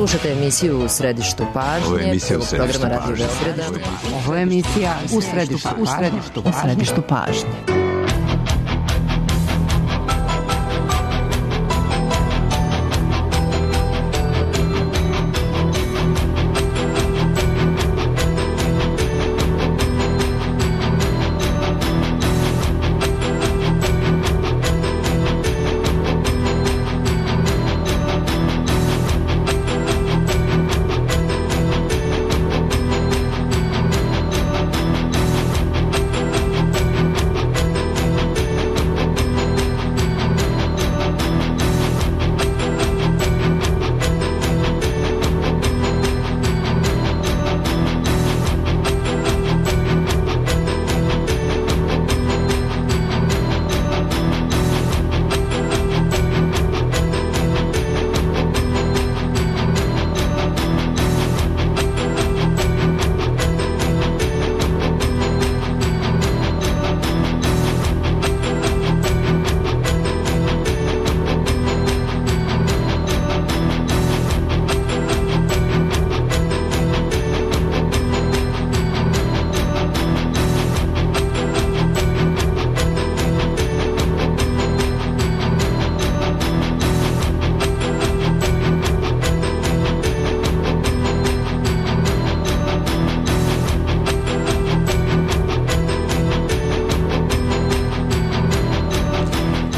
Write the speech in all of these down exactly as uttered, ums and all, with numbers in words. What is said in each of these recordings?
Slušate emisiju U središtu pažnje. Ovo je emisija U središtu pažnje. Ovo je emisija U središtu pažnje. U središtu pažnje.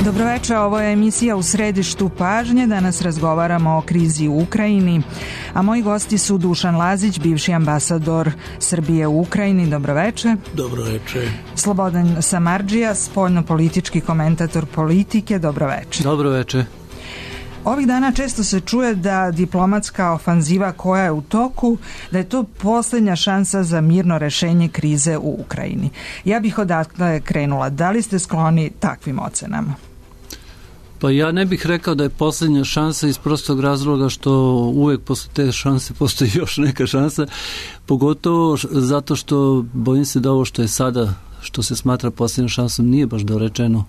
Dobroveče, ovo je emisija U središtu pažnje. Danas razgovaramo o krizi u Ukrajini, a moji gosti su Dušan Lazić, bivši ambasador Srbije u Ukrajini. Dobroveče. Dobroveče. Slobodan Samardžija, spoljno-politički komentator politike. Dobroveče. Dobroveče. Ovih dana često se čuje da diplomatska ofanziva koja je u toku, da je to posljednja šansa za mirno rešenje krize u Ukrajini. Ja bih odatle krenula. Da li ste skloni takvim ocenama? Pa ja ne bih rekao da je posljednja šansa iz prostog razloga što uvijek posle te šanse postoji još neka šansa, pogotovo zato što bojim se da ovo što je sada, što se smatra posljednjom šansom, nije baš dorečeno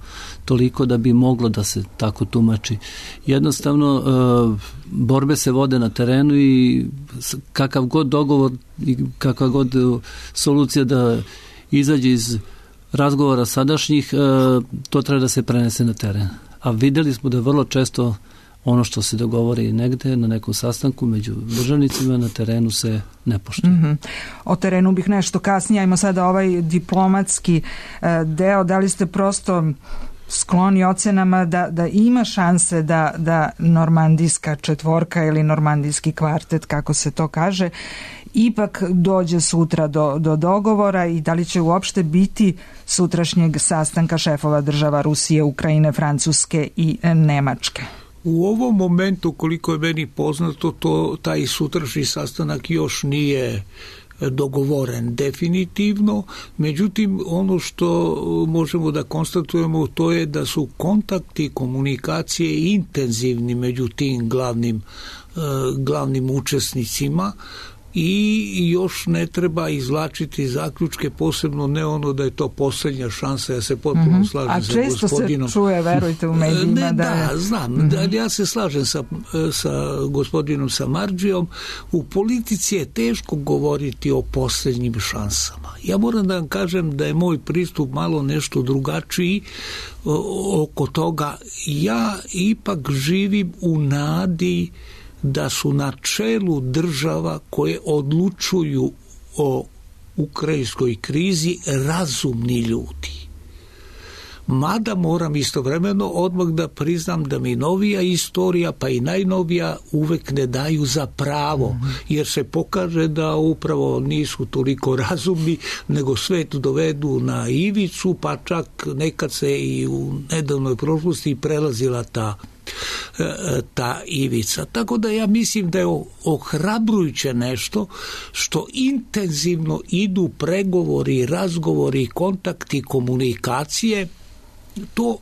toliko da bi moglo da se tako tumači. Jednostavno, borbe se vode na terenu i kakav god dogovor i kakva god solucija da izađe iz razgovora sadašnjih, to treba da se prenese na teren. A vidjeli smo da vrlo često ono što se dogovori negde na nekom sastanku među državnicima na terenu se ne poštuje. Mm-hmm. O terenu bih nešto kasnije. Ajmo sada ovaj diplomatski deo. Da li ste prosto skloni ocenama da, da ima šanse da, da normandijska četvorka ili normandijski kvartet, kako se to kaže, ipak dođe sutra do, do dogovora i da li će uopšte biti sutrašnjeg sastanka šefova država Rusije, Ukrajine, Francuske i Nemačke? U ovom momentu, koliko je meni poznato, to, taj sutrašnji sastanak još nije dogovoren definitivno, međutim ono što možemo da konstatujemo to je da su kontakti, komunikacije intenzivni među tim glavnim, glavnim učesnicima i još ne treba izvlačiti zaključke, posebno ne ono da je to posljednja šansa. Ja se potpuno mm-hmm. slažem A sa često gospodinom. Se čuje, verujte, u medijima. Ne, da, da, znam. Mm-hmm. Da, ja se slažem sa, sa gospodinom Samardžijom. U politici je teško govoriti o posljednjim šansama. Ja moram da vam kažem da je moj pristup malo nešto drugačiji oko toga. Ja ipak živim u nadi da su na čelu država koje odlučuju o ukrajinskoj krizi razumni ljudi. Mada moram istovremeno odmah da priznam da mi novija istorija, pa i najnovija, uvek ne daju za pravo, jer se pokaže da upravo nisu toliko razumni, nego svet dovedu na ivicu, pa čak nekad se i u nedavnoj prošlosti prelazila ta ta ivica. Tako da ja mislim da je ohrabrujuće nešto što intenzivno idu pregovori, razgovori, kontakti, komunikacije. To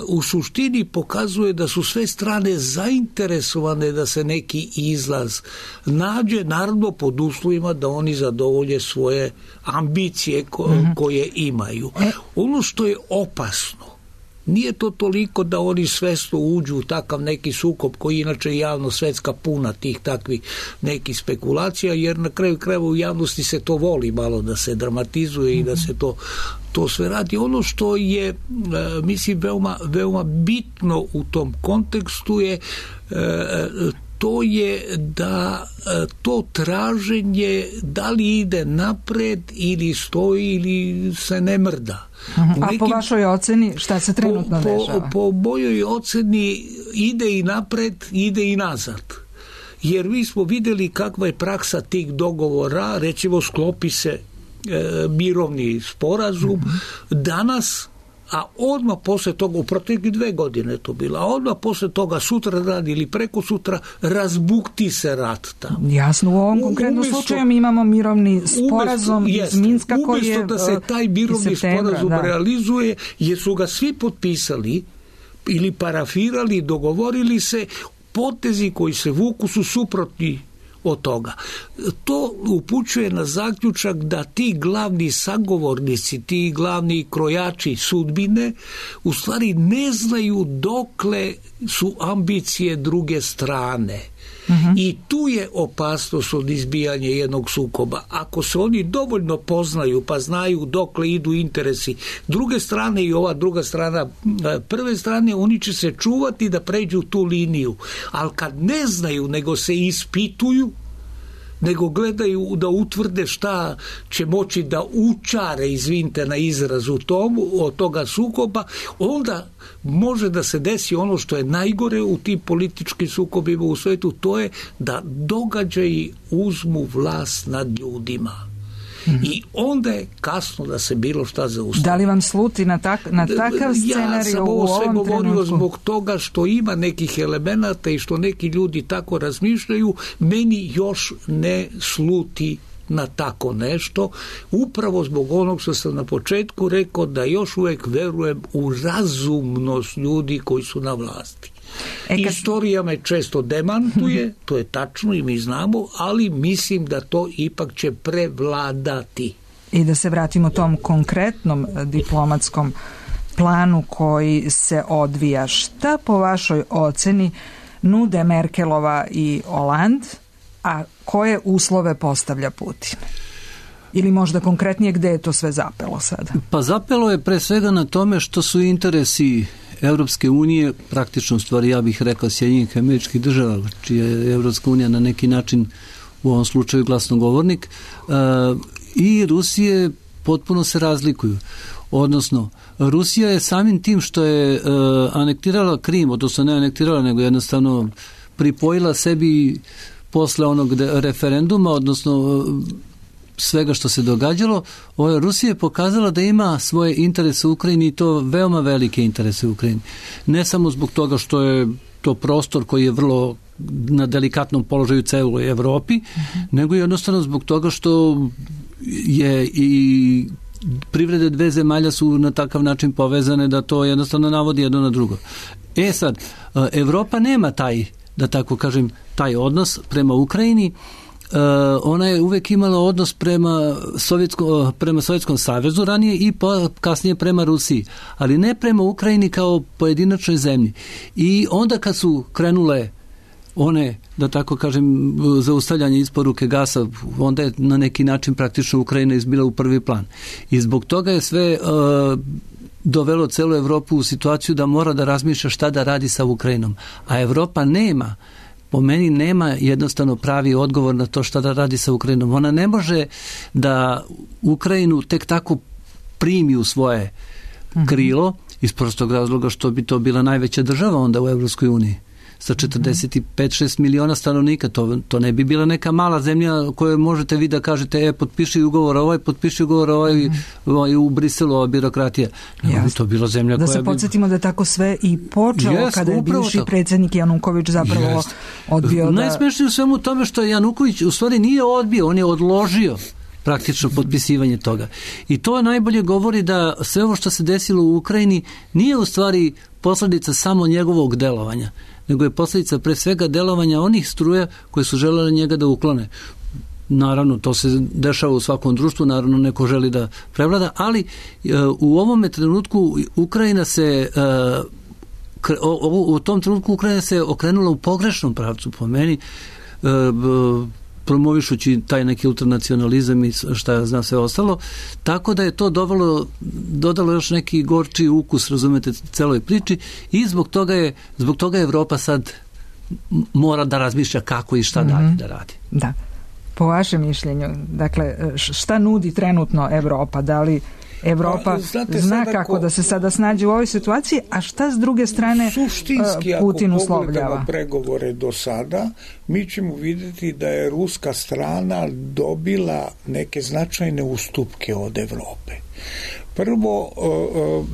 u suštini pokazuje da su sve strane zainteresovane da se neki izlaz nađe, naravno pod uslovima da oni zadovolje svoje ambicije ko- mm-hmm. koje imaju. Ono što je opasno Nije to toliko da oni svesno uđu u takav neki sukob koji inače javno svetska puna tih takvih nekih spekulacija, jer na kraju krajeva u javnosti se to voli malo da se dramatizuje i da se to to sve radi. Ono što je, mislim, veoma, veoma bitno u tom kontekstu je to je da to traženje da li ide napred ili stoji ili se ne mrda. Uh-huh. A nekim, po vašoj oceni šta se trenutno po, dešava? Po, po mojoj oceni ide i napred, ide i nazad. Jer mi smo videli kakva je praksa tih dogovora, recimo sklopi se e, mirovni sporazum, uh-huh. danas, a odmah posle toga, u protekli dve godine to bilo, a odmah posle toga sutra dan ili preko sutra razbukti se rat tamo. Jasno, u ovom konkretnom umjesto, slučaju mi imamo mirovni sporazum umjesto, iz Minska koji je umjesto da se taj mirovni sporazum da. realizuje, jer su ga svi potpisali ili parafirali, dogovorili se, potezi koji se vuku su suprotni od toga. To upućuje na zaključak da ti glavni sagovornici, ti glavni krojači sudbine u stvari ne znaju dokle su ambicije druge strane. Uh-huh. I tu je opasnost od izbijanja jednog sukoba. Ako se oni dovoljno poznaju pa znaju dokle idu interesi druge strane i ova druga strana prve strane, oni će se čuvati da pređu tu liniju. Ali kad ne znaju, nego se ispituju, nego gledaju da utvrde šta će moći da učare, izvinite na izrazu tomu, od toga sukoba, onda može da se desi ono što je najgore u tim političkim sukobima u svetu, to je da događaji uzmu vlast nad ljudima. Mm-hmm. I onda je kasno da se bilo šta zaustavi. Da li vam sluti na, tak, na takav scenarij ja u ovom trenutku? Ja sam ovo sve govorio zbog toga što ima nekih elemenata i što neki ljudi tako razmišljaju, meni još ne sluti na tako nešto, upravo zbog onog što sam na početku rekao, da još uvijek verujem u razumnost ljudi koji su na vlasti. E kad... Istorija me često demantuje, to je tačno i mi znamo, ali mislim da to ipak će prevladati. I da se vratimo tom konkretnom diplomatskom planu koji se odvija. Šta po vašoj oceni nude Merkelova i Hollande, a koje uslove postavlja Putin? Ili možda konkretnije gde je to sve zapelo sada? Pa zapelo je pre svega na tome što su interesi Evropske unije, praktično stvari, ja bih rekao, Sjedinjenih Američkih Država, čija je Evropska unija na neki način u ovom slučaju glasnogovornik, i Rusije potpuno se razlikuju. Odnosno, Rusija je samim tim što je anektirala Krim, odnosno ne anektirala, nego jednostavno pripojila sebi posle onog referenduma, odnosno svega što se događalo, Rusija je pokazala da ima svoje interese u Ukrajini i to veoma velike interese u Ukrajini. Ne samo zbog toga što je to prostor koji je vrlo na delikatnom položaju celoj Evropi, mm-hmm. nego jednostavno zbog toga što je i privrede dve zemalja su na takav način povezane da to jednostavno navodi jedno na drugo. E sad, Evropa nema taj, da tako kažem, taj odnos prema Ukrajini. Uh, ona je uvek imala odnos prema Sovjetskom, prema Sovjetskom savezu ranije i pa kasnije prema Rusiji, ali ne prema Ukrajini kao pojedinačnoj zemlji. I onda kad su krenule one, da tako kažem, zaustavljanje isporuke gasa, onda je na neki način praktično Ukrajina izbila u prvi plan. I zbog toga je sve uh, dovelo celu Evropu u situaciju da mora da razmišlja šta da radi sa Ukrajinom. A Evropa nema, po meni nema jednostavno pravi odgovor na to šta da radi sa Ukrajinom. Ona ne može da Ukrajinu tek tako primi u svoje krilo, iz prostog razloga što bi to bila najveća država onda u Evropskoj uniji. Sa četrdeset pet šest miliona stanovnika, to, to ne bi bila neka mala zemlja koju možete vi da kažete, e, potpiši ugovor ovaj, potpiši ugovor ovaj, mm-hmm. i u Briselu ova birokratija. Ne bi to bila zemlja da koja se bi... podsjetimo da je tako sve i počelo yes, kada je bivši tako. Predsjednik Januković zapravo yes. odbio da... Najsmešnije u svemu tome što je Januković u stvari nije odbio, on je odložio praktično potpisivanje toga. I to najbolje govori da sve ovo što se desilo u Ukrajini nije u stvari posljedica samo njegovog delovanja, nego je posljedica pre svega delovanja onih struja koje su želele njega da uklone. naravno to se dešava u svakom društvu, naravno neko želi da prevlada, ali u ovome trenutku Ukrajina se u tom trenutku Ukrajina se okrenula u pogrešnom pravcu po meni, promovišući taj neki ultranacionalizam i šta ja znam sve ostalo, tako da je to dovelo, dodalo još neki gorči ukus, razumete, celoj priči i zbog toga je, zbog toga Evropa sad mora da razmišlja kako i šta mm-hmm. dalje da radi. Da. Po vašem mišljenju, dakle, šta nudi trenutno Evropa? Da li Evropa Znate, zna kako ko, da se sada snađe u ovoj situaciji, a šta s druge strane suštinski, Putin uslovljava? Ako pogledamo pregovore do sada, mi ćemo vidjeti da je ruska strana dobila neke značajne ustupke od Evrope. Prvo,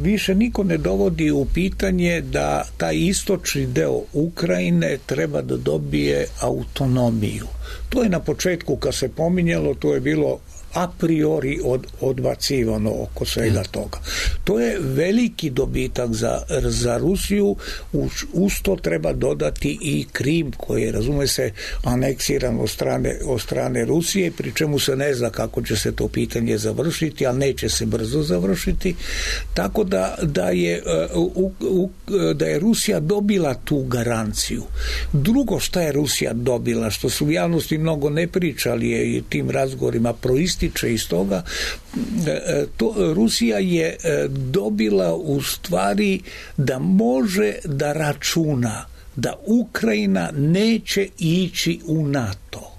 više niko ne dovodi u pitanje da taj istočni deo Ukrajine treba da dobije autonomiju. To je na početku kad se pominjalo, to je bilo a priori od, odbacivano oko svega toga. To je veliki dobitak za, za Rusiju, uz, uz to treba dodati i Krim koji je, razume se, aneksiran od strane, od strane Rusije, pri čemu se ne zna kako će se to pitanje završiti, ali neće se brzo završiti, tako da, da, je, u, u, da je Rusija dobila tu garanciju. Drugo šta je Rusija dobila, što su u javnosti mnogo ne pričali je i tim razgovorima proističe iz toga, to Rusija je dobila u stvari da može da računa da Ukrajina neće ići u NATO.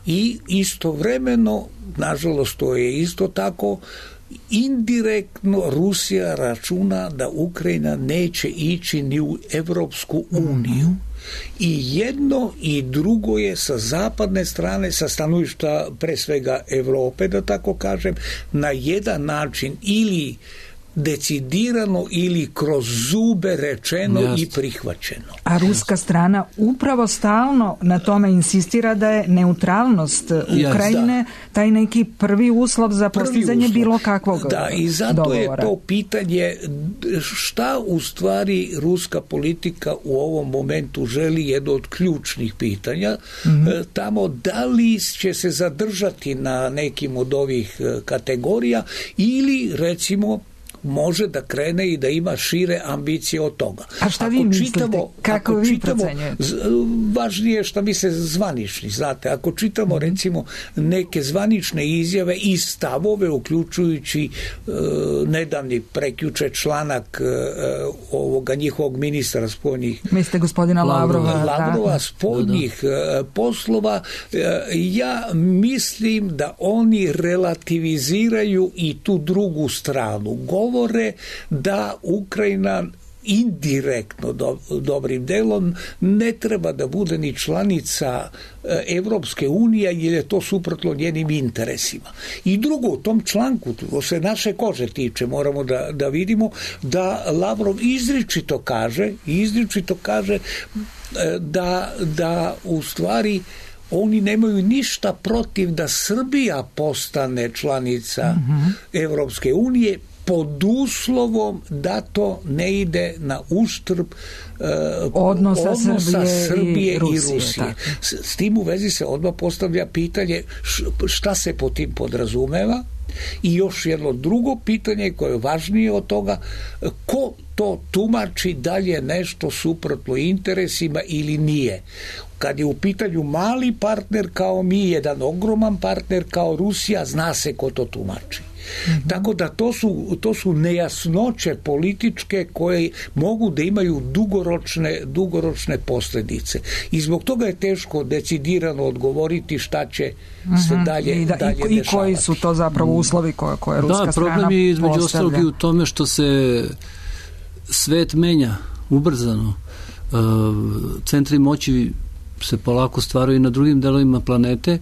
I istovremeno, nažalost to je isto tako, indirektno Rusija računa da Ukrajina neće ići ni u Evropsku uniju. I jedno i drugo je sa zapadne strane, sa stanovišta pre svega Evrope, da tako kažem, na jedan način ili decidirano ili kroz zube rečeno Just. i prihvaćeno. A ruska strana upravo stalno na tome insistira da je neutralnost Ukrajine Just, taj neki prvi uslov za postizanje bilo kakvog da, i zato dogovora. Je to pitanje šta u stvari ruska politika u ovom momentu želi, jedno od ključnih pitanja, mm-hmm. tamo da li će se zadržati na nekim od ovih kategorija ili recimo može da krene i da ima šire ambicije od toga. A šta vi ako mislite? Čitamo, Kako vi procenjujete? Važnije je šta mi se zvanični, znate, ako čitamo mm-hmm. recimo neke zvanične izjave i stavove, uključujući uh, nedavni prekjuče članak uh, ovoga njihovog ministra spoljnih mislite gospodina Lavrova, Lavrova spoljnih uh, poslova, uh, ja mislim da oni relativiziraju i tu drugu stranu. Govore da Ukrajina indirektno do, dobrim delom ne treba da bude ni članica Evropske unije jer je to suprotno njenim interesima. I drugo, u tom članku, to se naše kože tiče, moramo da, da vidimo da Lavrov izričito kaže, izričito kaže da, da u stvari oni nemaju ništa protiv da Srbija postane članica mm-hmm. Evropske unije pod uslovom da to ne ide na uštrb uh, odnosa, odnosa Srbije, Srbije i Rusije. I Rusije. S, s tim u vezi se odmah postavlja pitanje šta se po tim podrazumeva i još jedno drugo pitanje koje je važnije od toga, ko to tumači da li je nešto suprotno interesima ili nije. Kad je u pitanju mali partner kao mi, jedan ogroman partner kao Rusija, zna se ko to tumači. Mm-hmm. Tako da to su, to su nejasnoće političke koje mogu da imaju dugoročne, dugoročne posljedice. I zbog toga je teško decidirano odgovoriti šta će mm-hmm. se dalje, I, da, dalje i, dešavati. I koji su to zapravo uslovi koje, koje ruska da, strana problem je između postavlja. ostalog i u tome što se svet menja ubrzano. Centri moći se polako stvaraju na drugim delovima planete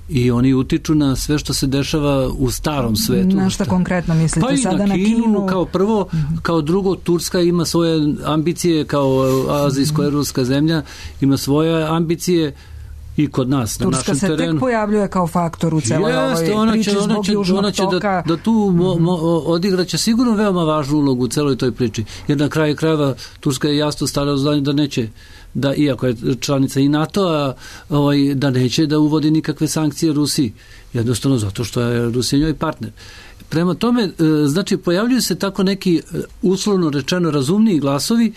i oni utiču na sve što se dešava u starom svetu. Na šta konkretno mislite? Pa i sada na Kinu, na Kinu kao prvo, mm-hmm. kao drugo, Turska ima svoje ambicije kao azijsko-evropska zemlja, ima svoje ambicije i kod nas, Turska na našem terenu. Turska se tek pojavljuje kao faktor u celoj Jeste, ovoj priči ona zbog će, južnog ona će toka. Da, da tu mo, mo, odigraće sigurno veoma važnu ulogu u celoj toj priči. Jer na kraju krajeva Turska je jasno stavila znanje da neće, da iako je članica i NATO-a, ovaj, da neće da uvodi nikakve sankcije Rusiji. Jednostavno zato što je Rusija njoj partner. Prema tome, znači, pojavljuju se tako neki uslovno rečeno razumniji glasovi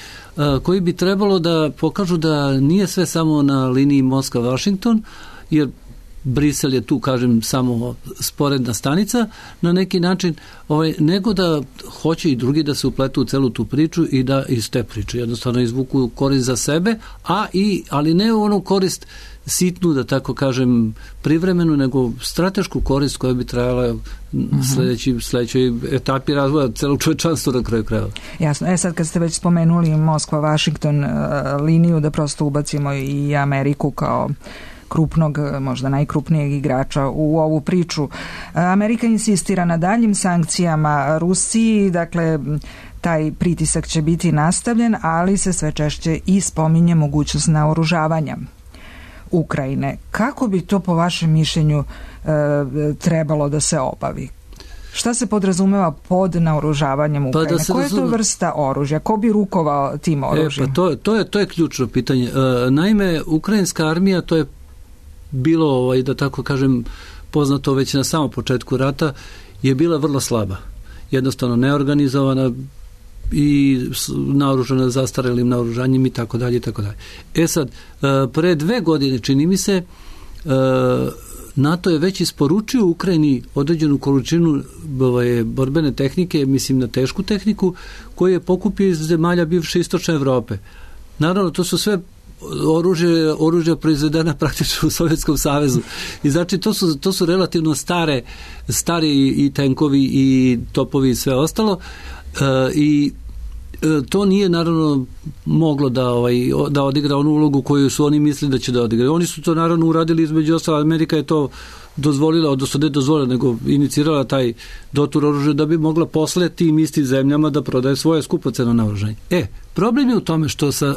koji bi trebalo da pokažu da nije sve samo na liniji Moskva-Washington, jer Brisel je tu, kažem, samo sporedna stanica na neki način, ovaj, nego da hoće i drugi da se upletu u celu tu priču i da iz te priče jednostavno izvuku korist za sebe, a i, ali ne onu korist sitnu, da tako kažem, privremenu, nego stratešku korist koja bi trajala sledeći, sledećoj etapi razvoja celog čovečanstva na kraju krajeva. Jasno. E sad kad ste već spomenuli Moskva-Washington uh, liniju, da prosto ubacimo i Ameriku kao krupnog, možda najkrupnijeg igrača u ovu priču. Amerika insistira na daljim sankcijama Rusiji, dakle taj pritisak će biti nastavljen, ali se sve češće i spominje mogućnost naoružavanja Ukrajine. Kako bi to po vašem mišljenju e, trebalo da se obavi? Šta se podrazumeva pod naoružavanjem Ukrajine? Pa da Koja je to vrsta oružja? Ko bi rukovao tim oružjem? E, pa to, to, je, to je ključno pitanje. E, naime, ukrajinska armija, to je bilo, ovaj, da tako kažem, poznato već na samom početku rata, je bila vrlo slaba. Jednostavno neorganizovana i naoružana zastarelim naoružanjem i tako dalje i tako dalje. E sad, pre dve godine, čini mi se, NATO je već isporučio Ukrajini određenu količinu ovaj, borbene tehnike, mislim na tešku tehniku, koju je pokupio iz zemalja bivše istočne Evrope. Naravno, to su sve oružje, oružje proizvedena praktično u Sovjetskom savezu. I znači to su, to su relativno stare, stari i tenkovi i topovi i sve ostalo. E, i to nije naravno moglo da, ovaj, da odigra onu ulogu koju su oni mislili da će da odigra. Oni su to naravno uradili, između ostalo Amerika je to dozvolila, odnosno ne dozvolila, nego inicirala taj dotur oružja da bi mogla posle tim istim zemljama da prodaje svoje skupoceno naoružanje. E, problem je u tome što sa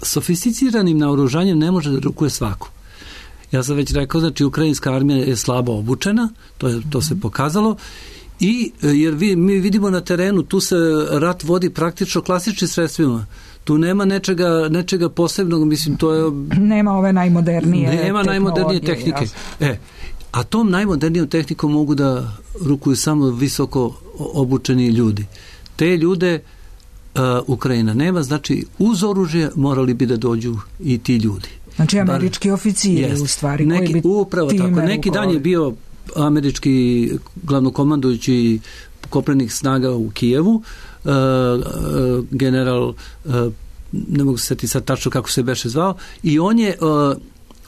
sofisticiranim naoružanjem ne može da rukuje svako. Ja sam već rekao, znači ukrajinska armija je slabo obučena, to, je, to se pokazalo, i jer vi, mi vidimo na terenu, tu se rat vodi praktično klasičnim sredstvima. Tu nema nečega, nečega posebnog, mislim, to je... Nema ove najmodernije Nema najmodernije tehnike. E, a tom najmodernijom tehnikom mogu da rukuju samo visoko obučeni ljudi. Te ljude uh, Ukrajina nema, znači uz oružje morali bi da dođu i ti ljudi. Znači američki Bar, oficiri jest, u stvari neki, koji bi upravo tako. Neki dan je bio američki glavnokomandujući kopnenih snaga u Kijevu, uh, uh, general, uh, ne mogu se setiti sad tačno kako se beše zvao, i on je, uh,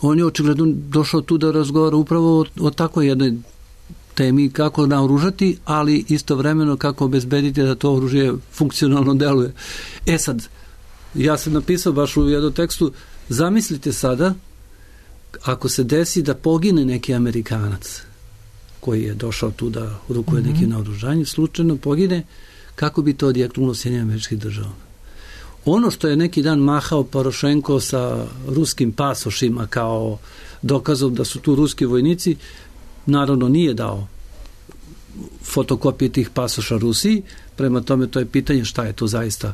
on je očigledno došao tu da razgovara upravo o, o takvoj jednoj temi, kako naoružati, ali istovremeno kako obezbediti da to oružje funkcionalno deluje. E sad, ja sam napisao baš u jednom tekstu, zamislite sada, ako se desi da pogine neki Amerikanac koji je došao tu da rukuje mm-hmm. neki naoružanje, slučajno pogine, kako bi to odjeknulo Sjedinjenim Američkim Državama. Ono što je neki dan mahao Porošenko sa ruskim pasošima kao dokazom da su tu ruski vojnici, naravno nije dao fotokopije tih pasoša Rusiji, prema tome to je pitanje šta je to zaista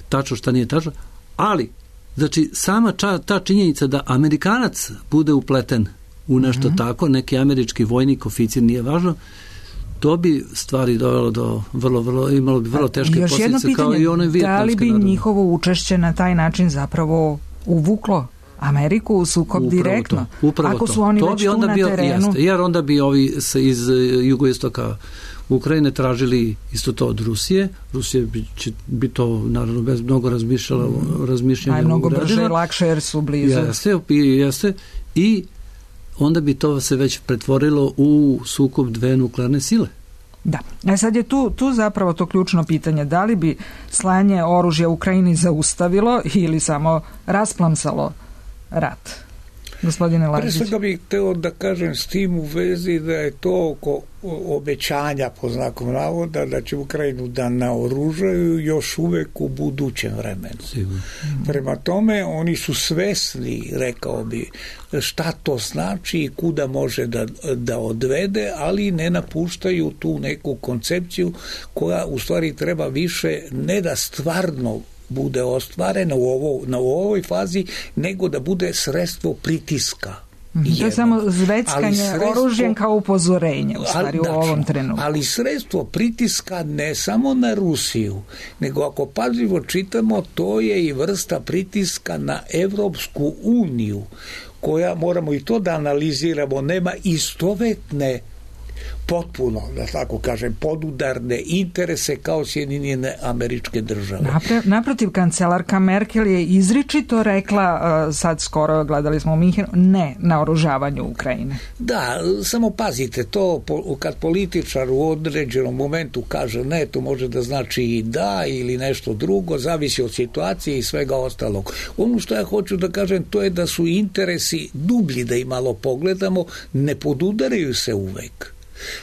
tačno, šta nije tačno, ali znači sama ča, ta činjenica da Amerikanac bude upleten u nešto mm-hmm. tako, neki američki vojnik, oficir, nije važno, to bi stvari dovelo do vrlo, vrlo, imalo bi vrlo teške još posljedice kao i one vijetnamske. Da li bi naravno. Njihovo učešće na taj način zapravo uvuklo Ameriku u sukob upravo direktno? To, upravo Ako to. su oni to već bi onda tu na bio, terenu. Jeste, jer onda bi ovi iz jugoistoka Ukrajine tražili isto to od Rusije. Rusija bi, će, bi to naravno bez mnogo razmišljala, mm. razmišljanja Aj, mnogo uradila. brže i lakše jer su blizu. Jeste, jeste. I onda bi to se već pretvorilo u sukob dve nuklearne sile. Da. E sad je tu, tu zapravo to ključno pitanje. Da li bi slanje oružja Ukrajini zaustavilo ili samo rasplamsalo rat? gospodine Lazić? Pre svega bih hteo da kažem s tim u vezi da je to oko obećanja, po znakom navoda, da će Ukrajinu da naoružaju još uvek u budućem vremenu. Sigurno. Prema tome, oni su svesni, rekao bi, šta to znači i kuda može da, da odvede, ali ne napuštaju tu neku koncepciju koja u stvari treba više ne da stvarno bude ostvarena u, ovo, na u ovoj fazi, nego da bude sredstvo pritiska. Mm-hmm. To je samo zveckanje sredstvo, oružjem kao upozorenje u stvari ali, u ovom trenutku. Ali sredstvo pritiska ne samo na Rusiju, nego ako pažljivo čitamo, to je i vrsta pritiska na Evropsku uniju, koja, moramo i to da analiziramo, nema istovetne potpuno, da tako kažem, podudarne interese kao Sjedinjene Američke Države. Napre, naprotiv, kancelarka Merkel je izričito rekla, uh, sad skoro gledali smo u Minhenu, ne na oružavanju Ukrajine. Da, samo pazite, to kad političar u određenom momentu kaže ne, to može da znači i da ili nešto drugo, zavisi od situacije i svega ostalog. Ono što ja hoću da kažem, to je da su interesi dublji, da i malo pogledamo, ne podudaraju se uvek.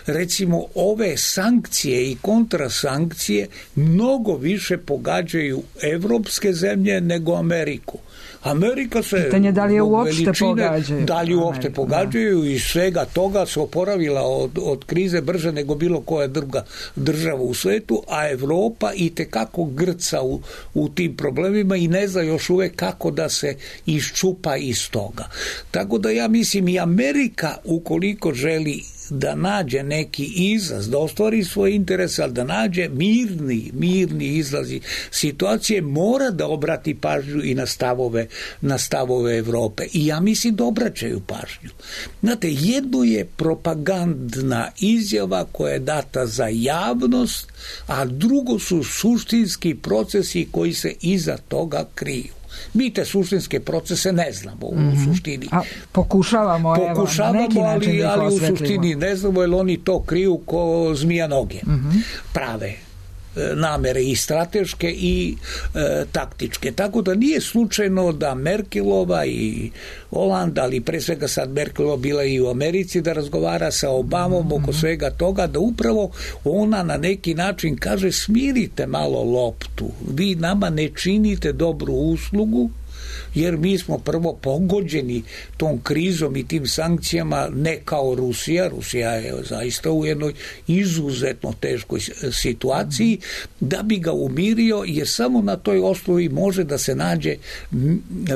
Recimo, ove sankcije i kontrasankcije mnogo više pogađaju evropske zemlje nego Ameriku. Amerika se... Pitanje da li je uopšte veličine, pogađaju. Da li uopšte pogađaju i svega toga se oporavila od, od krize brže nego bilo koja druga država u svetu, a Evropa i tekako grca u, u tim problemima i ne zna još uvek kako da se iščupa iz toga. Tako da ja mislim i Amerika, ukoliko želi da nađe neki izlaz, da ostvari svoj interes, ali da nađe mirni, mirni izlazi situacije, mora da obrati pažnju i na stavove, na stavove Evrope. I ja mislim da obraćaju pažnju. Znate, jedno je propagandna izjava koja je data za javnost, a drugo su suštinski procesi koji se iza toga kriju. Mi te suštinske procese ne znamo u mm-hmm. suštini. A pokušavamo, pokušavamo evo, na neki način ali, da ali u suštini ne znamo, jer oni to kriju ko zmija noge. Mm-hmm. Prave namere i strateške i e, taktičke. Tako da nije slučajno da Merkelova i Hollande, ali pre svega sad Merkelova bila i u Americi, da razgovara sa Obamom mm-hmm. oko svega toga, da upravo ona na neki način kaže smirite malo loptu, vi nama ne činite dobru uslugu, jer mi smo prvo pogođeni tom krizom i tim sankcijama ne kao Rusija. Rusija je zaista u jednoj izuzetno teškoj situaciji, da bi ga umirio, jer samo na toj osnovi može da se nađe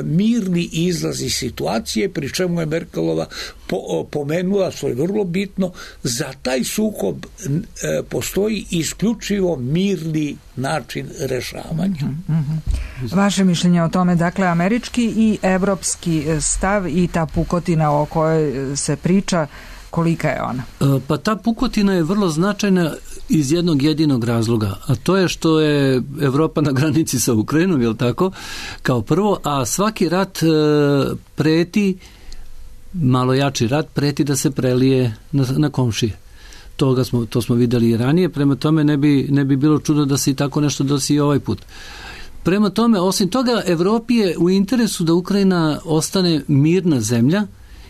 mirni izlaz iz situacije, pri čemu je Merkelova po, pomenula, što je vrlo bitno, za taj sukob e, postoji isključivo mirni način rešavanja. Mm-hmm. Vaše mišljenje o tome, dakle, američki i evropski stav i ta pukotina o kojoj se priča, kolika je ona? Pa ta pukotina je vrlo značajna iz jednog jedinog razloga, a to je što je Evropa na granici sa Ukrajinom, je li tako, kao prvo, a svaki rat preti, malo jači rat, preti da se prelije na, na komšije. Toga smo, to smo videli i ranije, prema tome ne bi, ne bi bilo čudno da se i tako nešto dosi i ovaj put. Prema tome, osim toga, Evropi je u interesu da Ukrajina ostane mirna zemlja,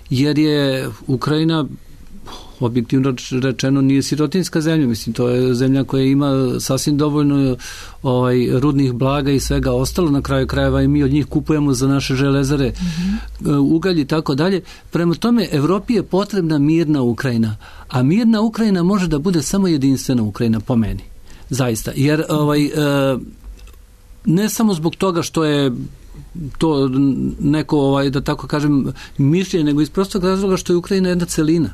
jer je Ukrajina, objektivno rečeno, nije sirotinska zemlja. Mislim, to je zemlja koja ima sasvim dovoljno ovaj, rudnih blaga i svega ostalo. Na kraju krajeva i mi od njih kupujemo za naše železare mm-hmm. ugalj i tako dalje. Prema tome, Evropi je potrebna mirna Ukrajina. A mirna Ukrajina može da bude samo jedinstvena Ukrajina, po meni. Zaista. Jer ovaj, ne samo zbog toga što je to neko, ovaj, da tako kažem, mišljenje, nego iz prostog razloga što je Ukrajina jedna celina.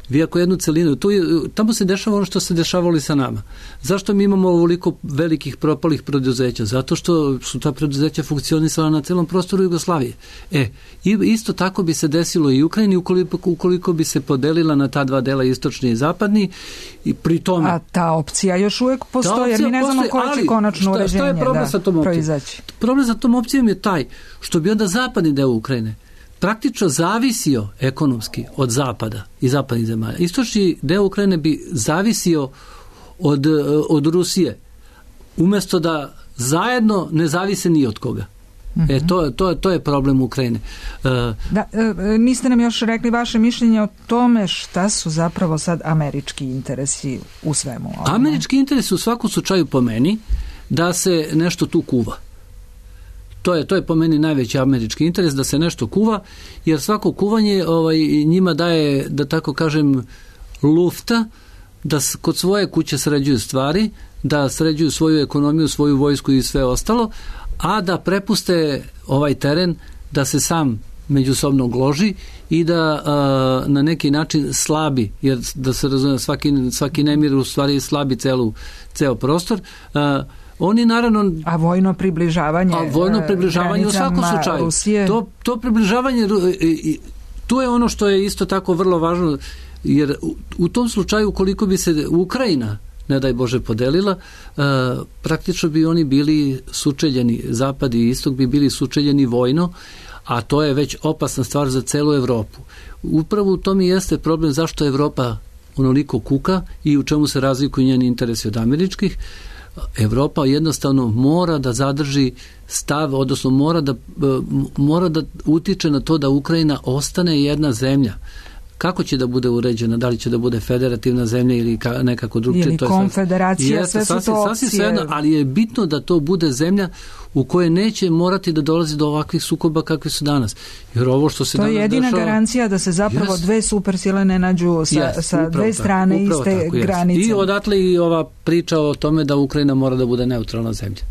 Vi ako jednu celinu, tu je, tamo se dešava ono što se dešavalo i sa nama. Zašto mi imamo ovoliko velikih propalih preduzeća? Zato što su ta preduzeća funkcionisala na celom prostoru Jugoslavije. E, isto tako bi se desilo i Ukrajini ukoliko, ukoliko bi se podelila na ta dva dela, istočni i zapadni, i pri tome... A ta opcija još uvijek postoji, jer mi ne znamo koje će konačno uređenje da proizaći. Problem sa tom opcijom je taj što bi onda zapadni deo Ukrajine praktično zavisio ekonomski od zapada i zapadnih zemalja. Istočni deo Ukrajine bi zavisio od, od Rusije, umjesto da zajedno ne zavise ni od koga. Mm-hmm. E, to, to, to je problem Ukrajine. Uh, da, e, niste nam još rekli vaše mišljenje o tome šta su zapravo sad američki interesi u svemu ovome. Američki interesi u svakom slučaju po meni da se nešto tu kuva. To je, to je po meni najveći američki interes, da se nešto kuva, jer svako kuvanje ovaj, njima daje, da tako kažem, lufta, da kod svoje kuće sređuju stvari, da sređuju svoju ekonomiju, svoju vojsku i sve ostalo, a da prepuste ovaj teren da se sam međusobno gloži i da a, na neki način slabi, jer da se razume, svaki, svaki nemir u stvari slabi celu, ceo prostor. A, oni naravno... A vojno približavanje a vojno približavanje u svakom slučaju. Rusije. To, to približavanje, tu je ono što je isto tako vrlo važno, jer u, u tom slučaju koliko bi se Ukrajina, ne daj Bože, podelila, uh, praktično bi oni bili sučeljeni, zapad i istok bi bili sučeljeni vojno, a to je već opasna stvar za celu Evropu. Upravo u tom i jeste problem zašto Evropa onoliko kuka i u čemu se razlikuju njeni interesi od američkih. Evropa jednostavno mora da zadrži stav, odnosno mora da, mora da utiče na to da Ukrajina ostane jedna zemlja. Kako će da bude uređena, da li će da bude federativna zemlja ili ka, nekako drugčije. Ili konfederacija, sve su to opcije. Svejedno, ali je bitno da to bude zemlja u kojoj neće morati da dolazi do ovakvih sukoba kakvi su danas. Jer ovo što se to danas je jedina dešava, garancija da se zapravo yes. dve supersile ne nađu sa, yes, sa dve strane tako, iste tako, granice. Yes. I odatle i ova priča o tome da Ukrajina mora da bude neutralna zemlja.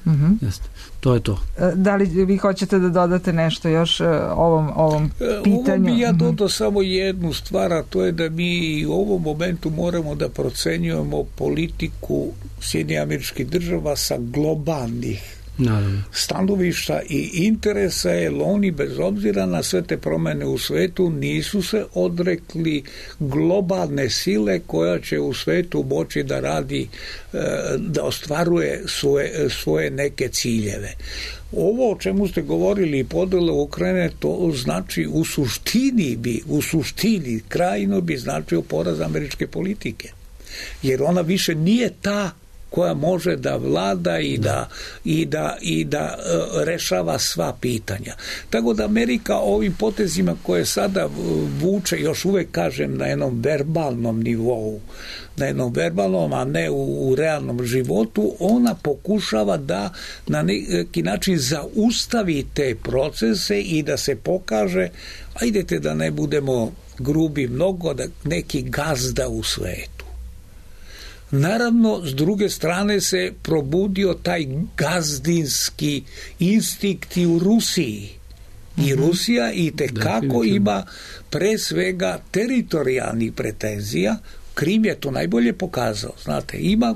Mm-hmm. Jeste. To je to. Da li vi hoćete da dodate nešto još ovom, ovom pitanju? Ovo bi ja dodao samo jednu stvar, a to je da mi u ovom momentu moramo da procenjujemo politiku Sjedinjenih Američkih Država sa globalnih Naravno. stanovišta i interesa, jer oni bez obzira na sve te promene u svetu nisu se odrekli globalne sile koja će u svetu moći da radi, da ostvaruje svoje, svoje neke ciljeve. Ovo o čemu ste govorili, podela Ukrajine, to znači u suštini bi, u suštini krajino bi značio poraz američke politike. Jer ona više nije ta koja može da vlada i da, i da, i da uh, rešava sva pitanja. Tako da Amerika ovim potezima koje sada vuče, još uvek kažem na jednom verbalnom nivou, na jednom verbalnom, a ne u, u realnom životu, ona pokušava da na neki način zaustavi te procese i da se pokaže, ajdete da ne budemo grubi mnogo, da neki gazda u svetu. Naravno, s druge strane se probudio taj gazdinski instinkt i u Rusiji. I Rusija i tekako ima pre svega teritorijalnih pretenzija. Krim je to najbolje pokazao. Znate, ima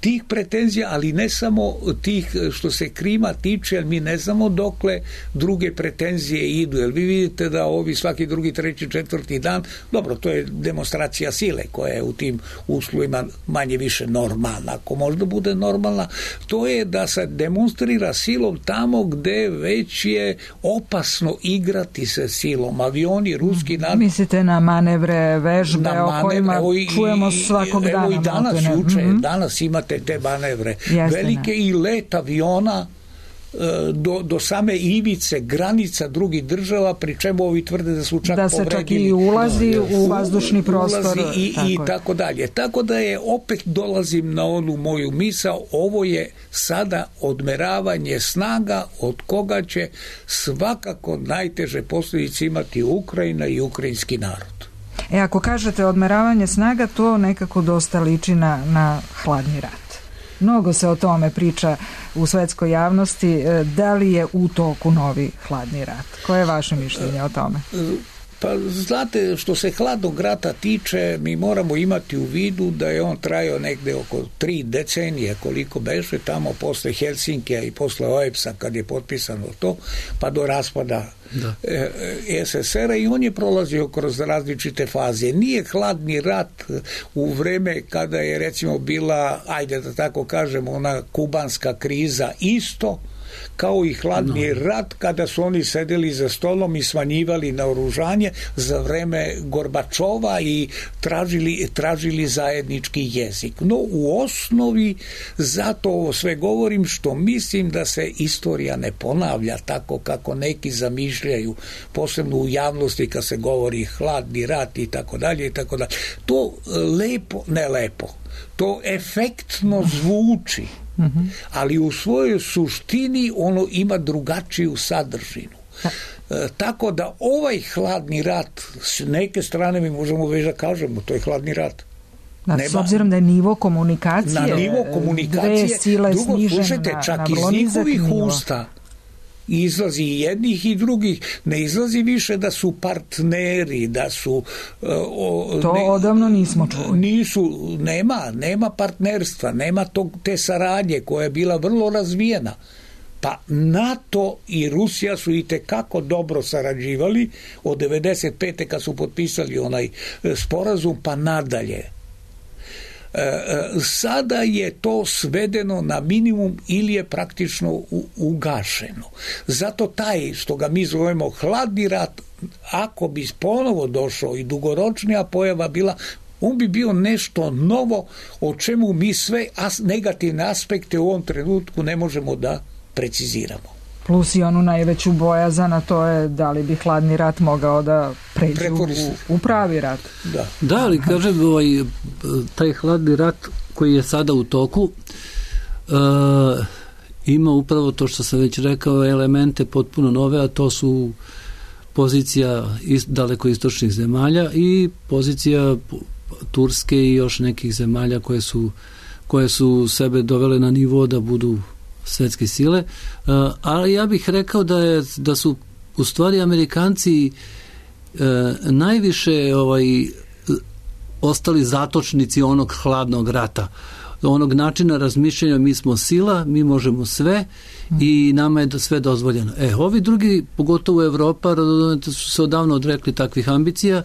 tih pretenzija, ali ne samo tih što se Krima tiče, jer mi ne znamo dokle druge pretenzije idu, jer vi vidite da ovi svaki drugi, treći, četvrti dan, dobro, to je demonstracija sile koja je u tim uslovima manje više normalna, ako možda bude normalna, to je da se demonstrira silom tamo gde već je opasno igrati se silom. Avioni, ruski narod... Mislite na manevre, vežbe o manevre, kojima i, čujemo svakog dana. Evo i danas, juče, mm-hmm. danas imate te manevre. Jeste, velike ne. I let aviona do, do same ivice granica drugih država, pri čemu ovi tvrde da su čak da se povredili. Čak i ulazi no, u vazdušni prostor. I tako, i tako dalje. Tako da je, opet dolazim na onu moju misao, ovo je sada odmeravanje snaga od koga će svakako najteže posljedice imati Ukrajina i ukrajinski narod. E, ako kažete odmeravanje snaga, to nekako dosta liči na, na hladni rat. Mnogo se o tome priča u svetskoj javnosti. Da li je u toku novi hladni rat? Koje je vaše mišljenje o tome? Pa znate, što se hladnog rata tiče, mi moramo imati u vidu da je on trajao negde oko tri decenije, koliko beše, tamo posle Helsinkija i posle O E B S-a, kad je potpisano to, pa do raspada da. S S R-a, i on je prolazio kroz različite faze. Nije hladni rat u vreme kada je recimo bila, ajde da tako kažemo, ona kubanska kriza isto, kao i hladni no. rat kada su oni sedeli za stolom i smanjivali naoružanje za vreme Gorbačova i tražili, tražili zajednički jezik. No u osnovi zato ovo sve govorim što mislim da se istorija ne ponavlja tako kako neki zamišljaju, posebno u javnosti kad se govori hladni rat i tako dalje i tako dalje. To lepo, ne lepo, to efektno zvuči, ali u svojoj suštini ono ima drugačiju sadržinu. E, tako da ovaj hladni rat s neke strane mi možemo već da kažemo, to je hladni rat. Da, s obzirom da je nivo komunikacije, na nivo komunikacije dve sile drugo, snižene slušajte, na, čak na iz njihovih nivo. usta izlazi i jednih i drugih, ne izlazi više da su partneri, da su uh, o, to ne, odavno nismo čuli. Nisu, nema, nema partnerstva, nema tog, te saradnje koja je bila vrlo razvijena. Pa NATO i Rusija su i tekako dobro sarađivali od devedeset pete kad su potpisali onaj sporazum pa nadalje. Sada je to svedeno na minimum ili je praktično ugašeno. Zato taj, što ga mi zovemo hladni rat, ako bi ponovo došao i dugoročnija pojava bila, on bi bio nešto novo o čemu mi sve negativne aspekte u ovom trenutku ne možemo da preciziramo. Plus i onu najveću bojazan, a to je da li bi hladni rat mogao da pređe u, u pravi rat. Da, da ali kažem, ovaj, taj hladni rat koji je sada u toku uh, ima upravo to što sam već rekao, elemente potpuno nove, a to su pozicija ist, daleko istočnih zemalja i pozicija Turske i još nekih zemalja koje su, koje su sebe dovele na nivo da budu svetske sile, uh, ali ja bih rekao da je da su u stvari Amerikanci uh, najviše ovaj ostali zatočnici onog hladnog rata, onog načina razmišljanja, mi smo sila, mi možemo sve i nama je sve dozvoljeno. E, ovi drugi, pogotovo Evropa, su se odavno odrekli takvih ambicija.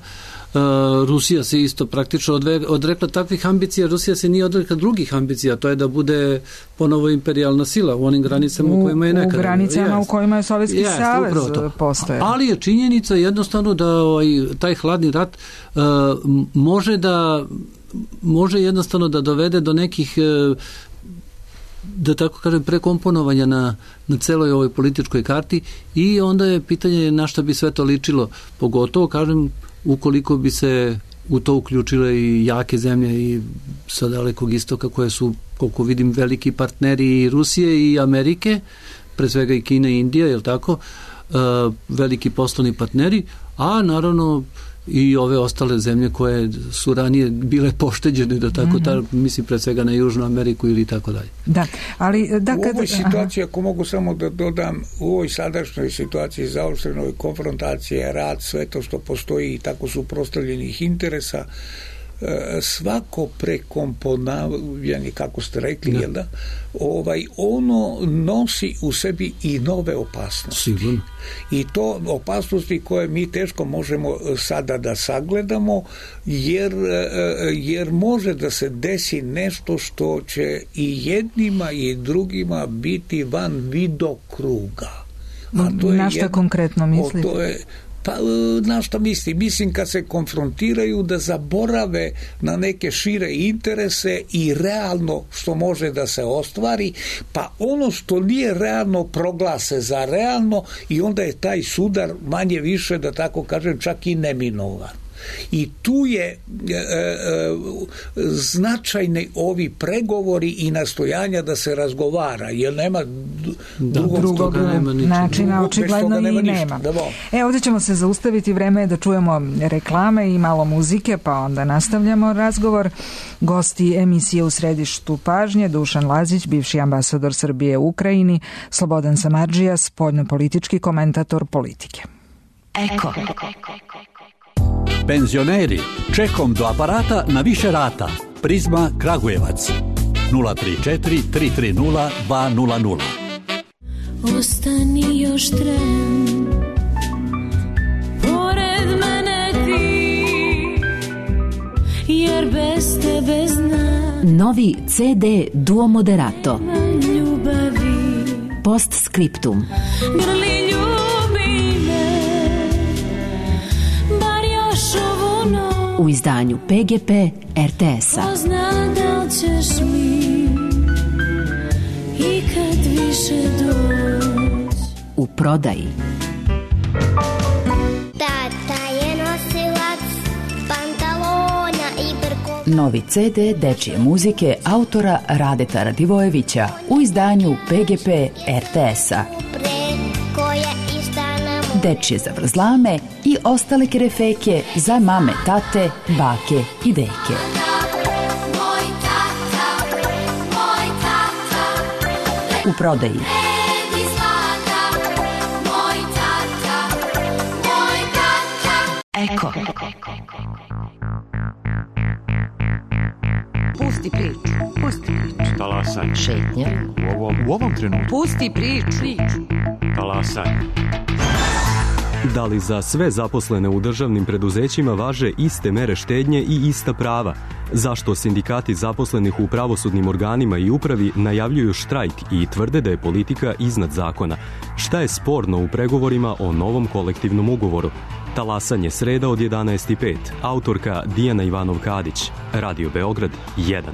Uh, Rusija se isto praktično odve, odrekla takvih ambicija, Rusija se nije odrekla drugih ambicija, to je da bude ponovo imperijalna sila u onim granicama u, u kojima je nekada. U granicama yes. u kojima je Sovjetski yes, savez postoje. Ali je činjenica jednostavno da ovaj, taj hladni rat uh, može da može jednostavno da dovede do nekih uh, da tako kažem prekomponovanja na, na celoj ovoj političkoj karti i onda je pitanje na šta bi sve to ličilo, pogotovo kažem ukoliko bi se u to uključile i jake zemlje i sa dalekog istoka koje su, koliko vidim, veliki partneri i Rusije i Amerike, pre svega i Kina i Indija, je li tako, uh, veliki poslovni partneri, a naravno i ove ostale zemlje koje su ranije bile pošteđene, da tako, mm-hmm. ta, mislim pre svega na Južnu Ameriku ili tako dalje. Da, ali da kad... U ovoj situaciji, ako mogu samo da dodam, u ovoj sadašnjoj situaciji zaoštrenoj konfrontacije, rad, sve to što postoji i tako suprotstavljenih interesa, svako prekomponavanje, kako ste rekli, da. Jel da, ovaj, ono nosi u sebi i nove opasnosti. Sigurno. I to opasnosti koje mi teško možemo sada da sagledamo, jer, jer može da se desi nešto što će i jednima i drugima biti van vidokruga. A to je na šta jedno, konkretno mislite? To je Pa, na što mislim? Mislim kad se konfrontiraju da zaborave na neke šire interese i realno što može da se ostvari, pa ono što nije realno proglase za realno i onda je taj sudar manje više, da tako kažem, čak i neminovan. I tu je e, e, značajni ovi pregovori i nastojanja da se razgovara, jer nema da, drugog, drugog nema načina, očigledno i nema. E, ovdje ćemo se zaustaviti, vreme je da čujemo reklame i malo muzike, pa onda nastavljamo razgovor. Gosti emisije U središtu pažnje: Dušan Lazić, bivši ambasador Srbije u Ukrajini, Slobodan Samardžija, spoljnopolitički komentator politike. Eko. Penzioneri, čekom do aparata na više rata. Prizma Kragujevac nula tri četiri tri tri nula dva nula nula. Ostani još tren, pored mene ti, jer bez tebe znam. Novi ce de Duo Moderato. Ljubavi. Postscriptum. Grli, ljubi me, bar još ovu noć. U izdanju P G P R T S-a. Ko zna da li ćeš mi ikad više doći. U prodaji. Tata je nosilac pantalona i brkova. Novi C D dečije muzike autora Radeta Radivojevića u izdanju P G P R T S-a. Dečije zavrzlame i ostale kerefeke za mame, tate, bake i deke. U prodaji. Eko. Pusti priču, pusti priču. Talasaj. Šetnja. U ovom, u ovom trenutku. Pusti priču. Talasaj. Da li za sve zaposlene u državnim preduzećima važe iste mere štednje i ista prava? Zašto sindikati zaposlenih u pravosudnim organima i upravi najavljuju štrajk i tvrde da je politika iznad zakona? Šta je sporno u pregovorima o novom kolektivnom ugovoru? Talasanje sreda od jedanaest i pet. Autorka Dijana Ivanov-Kadić. Radio Beograd jedan.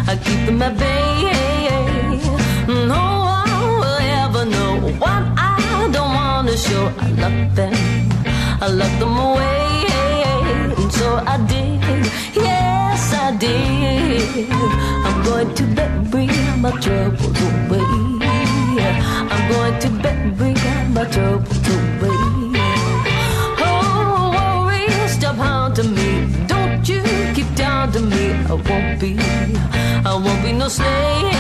I keep them at bay. No one will ever know what I don't want to show. I lock them, I lock them away. And so I did, yes I did. I'm going to bury my troubles away. I'm going to bury my troubles away. Oh, worry, stop haunting me. Don't you keep down to me. I won't be, I won't be no slave.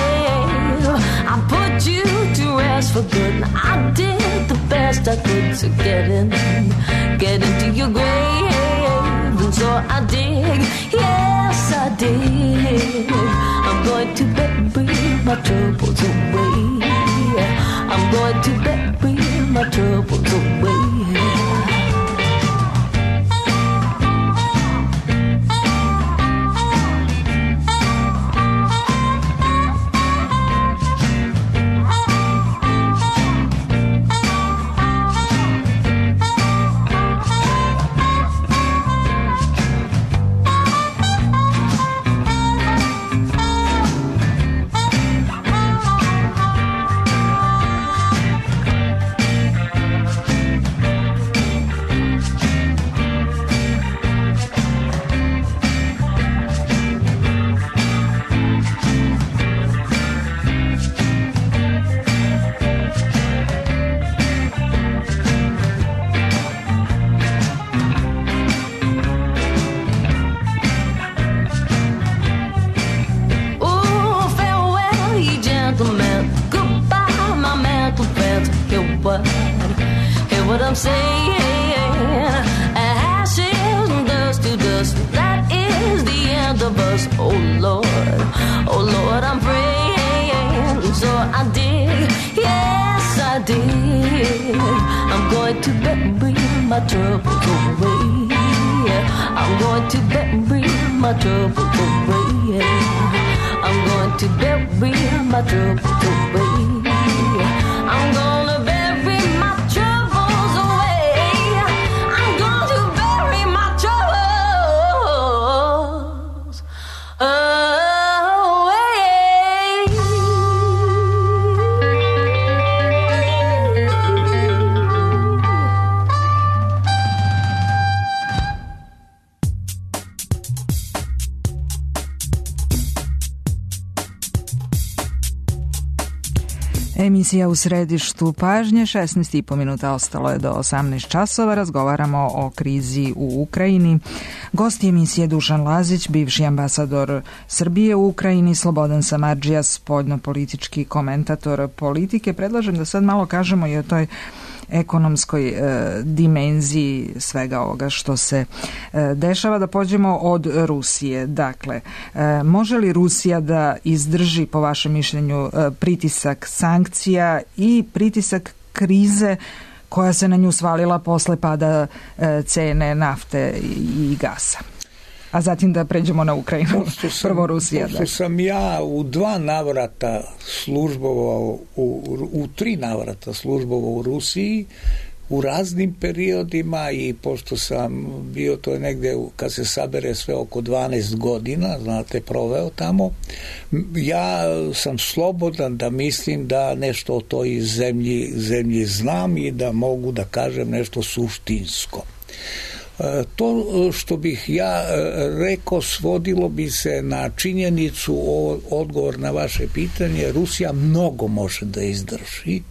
I put you to rest for good. I did the best I could to get in, get into your grave. And so I did, yes I did. I'm going to bury my troubles away. I'm going to bury my troubles away. Emisija u središtu pažnje, šesnaest i po minuta ostalo je do osamnaest časova, razgovaramo o krizi u Ukrajini. Gost emisije Dušan Lazić, bivši ambasador Srbije u Ukrajini, Slobodan Samardžija, spoljnopolitički komentator politike. Predlažem da sad malo kažemo i o toj ekonomskoj e, dimenziji svega ovoga što se e, dešava. Da pođemo od Rusije. Dakle, e, može li Rusija da izdrži, po vašem mišljenju, e, pritisak sankcija i pritisak krize koja se na nju svalila posle pada e, cene nafte i gasa? A zatim da pređemo na Ukrajinu. Sam, Prvo Rusija. Pošto sam ja u dva navrata službovao, u, u tri navrata službovao u Rusiji, u raznim periodima, i pošto sam bio, to je negde kad se sabere sve oko dvanaest godina, znate, proveo tamo, ja sam slobodan da mislim da nešto o toj zemlji, zemlji znam i da mogu da kažem nešto suštinsko. To što bih ja rekao svodilo bi se na činjenicu, odgovor na vaše pitanje, Rusija mnogo može da izdrži,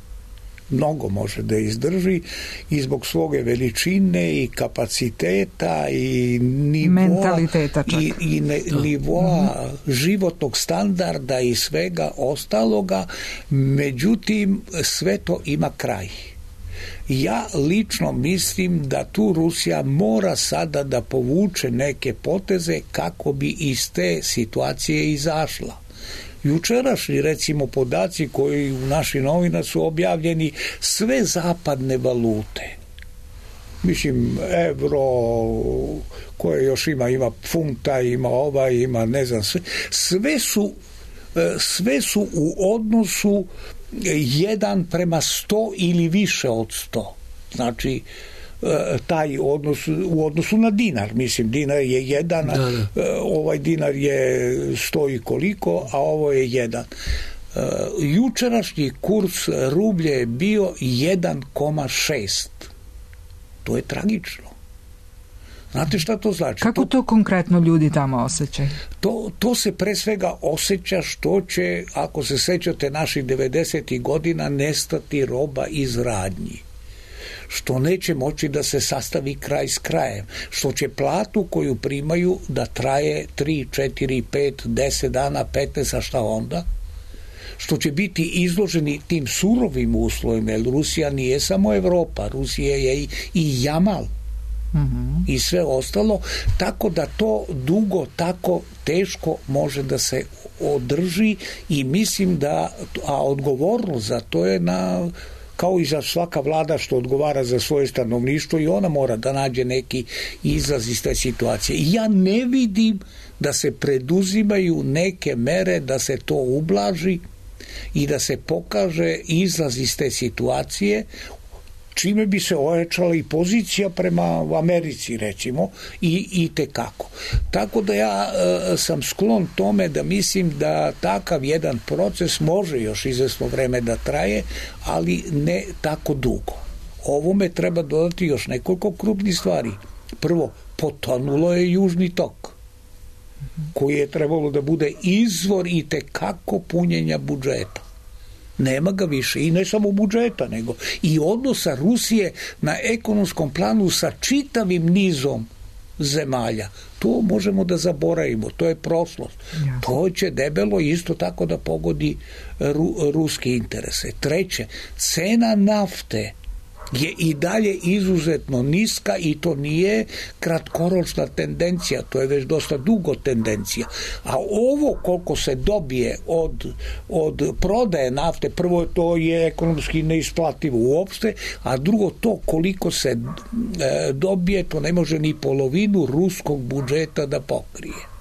mnogo može da izdrži i zbog svoje veličine i kapaciteta i nivoa, mentaliteta čak. i, i ne, nivoa mm-hmm. životnog standarda i svega ostaloga, međutim sve to ima kraj. Ja lično mislim da tu Rusija mora sada da povuče neke poteze kako bi iz te situacije izašla. Jučerašnji, recimo, podaci koji u našim novinama su objavljeni, sve zapadne valute, mislim, evro, koje još ima, ima funta, ima ova, ima ne znam, sve, sve su, sve su u odnosu jedan prema sto ili više od sto. Znači, taj odnos u odnosu na dinar, mislim, dinar je jedan, da, da. Ovaj dinar je sto i koliko, a ovo je jedan. Jučerašnji kurs rublje je bio jedan zarez šest. To je tragično. Znate šta to znači? Kako to, to konkretno ljudi tamo osjećaju? To, to se pre svega osjeća što će, ako se sećate naših devedesetih godina, nestati roba iz radnji. Što neće moći da se sastavi kraj s krajem. Što će platu koju primaju da traje tri, četiri, pet, deset dana, petnaest, a šta onda? Što će biti izloženi tim surovim uslovima, jer Rusija nije samo Evropa, Rusija je i, i Jamal. Mm-hmm. I sve ostalo, tako da to dugo tako teško može da se održi i mislim da, a odgovornost za to je na, kao i za svaka vlada što odgovara za svoje stanovništvo, i ona mora da nađe neki izlaz iz te situacije. I ja ne vidim da se preduzimaju neke mere da se to ublaži i da se pokaže izlaz iz te situacije, čime bi se ojačala i pozicija prema Americi, recimo, i, i tekako. Tako da ja e, sam sklon tome da mislim da takav jedan proces može još izvesno vreme da traje, ali ne tako dugo. Ovome treba dodati još nekoliko krupnih stvari. Prvo, potonulo je Južni tok, koji je trebalo da bude izvor i tekako punjenja budžeta. Nema ga više, i ne samo budžeta, nego i odnosa Rusije na ekonomskom planu sa čitavim nizom zemalja. To možemo da zaboravimo, to je prošlost. Ja. To će debelo isto tako da pogodi ru, ruske interese. Treće, cena nafte je i dalje izuzetno niska i to nije kratkoročna tendencija, to je već dosta dugo tendencija. A ovo koliko se dobije od, od prodaje nafte, prvo to je ekonomski neisplativo uopšte, a drugo to koliko se e, dobije, to ne može ni polovinu ruskog budžeta da pokrije.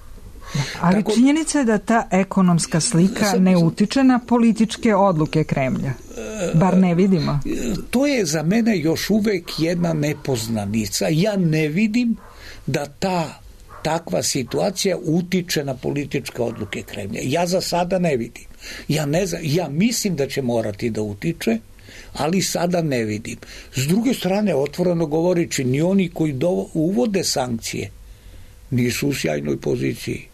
Ali tako, činjenica je da ta ekonomska slika sam, ne utiče na političke odluke Kremlja. Bar ne vidimo. To je za mene još uvek jedna nepoznanica. Ja ne vidim da ta takva situacija utiče na političke odluke Kremlja. Ja za sada ne vidim. Ja, ne znam, ja mislim da će morati da utiče, ali sada ne vidim. S druge strane, otvoreno govorići, ni oni koji do, uvode sankcije nisu u sjajnoj poziciji.